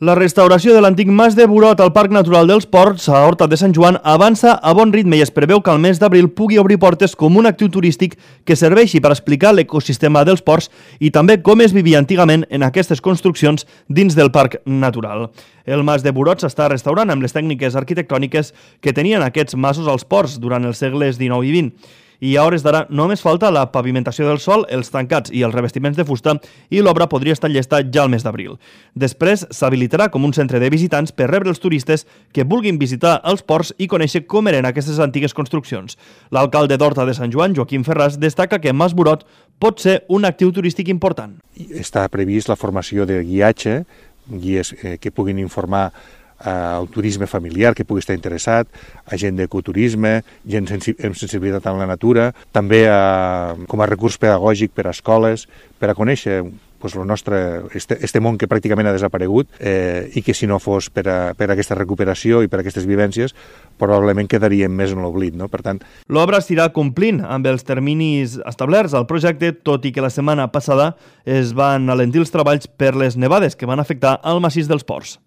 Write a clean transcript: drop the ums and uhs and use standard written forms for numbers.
La restauració de l'antic mas de Burot al Parc Natural dels Ports, a Horta de Sant Joan, avança a bon ritme i es preveu que al mes d'abril pugui obrir portes com un actiu turístic que serveixi per explicar l'ecosistema dels ports i també com es vivia antigament en aquestes construccions dins del Parc Natural. El mas de Burot s'està restaurant amb les tècniques arquitectòniques que tenien aquests masos als ports durant els segles XIX i XX. I a hores d'ara només falta la pavimentació del sòl, els tancats i els revestiments de fusta i l'obra podria estar llesta ja al mes d'abril. Després s'habilitarà com un centre de visitants per rebre els turistes que vulguin visitar els ports i conèixer com eren aquestes antigues construccions. L'alcalde d'Horta de Sant Joan, Joaquim Ferràs, destaca que Mas Burot pot ser un actiu turístic important. Està previst la formació de guiatge, guies que puguin informar al turisme familiar que pugui estar interessat, a gent d'ecoturisme, gent amb sensibilitat amb la natura, també com a recurs pedagògic per a escoles, per a conèixer el nostre, este món que pràcticament ha desaparegut i que si no fos per aquesta recuperació i per aquestes vivències probablement quedaríem més en l'oblit, no? Per tant, l'obra s'irà complint amb els terminis establerts al projecte, tot i que la setmana passada es van alentir els treballs per les nevades que van afectar el massís dels ports.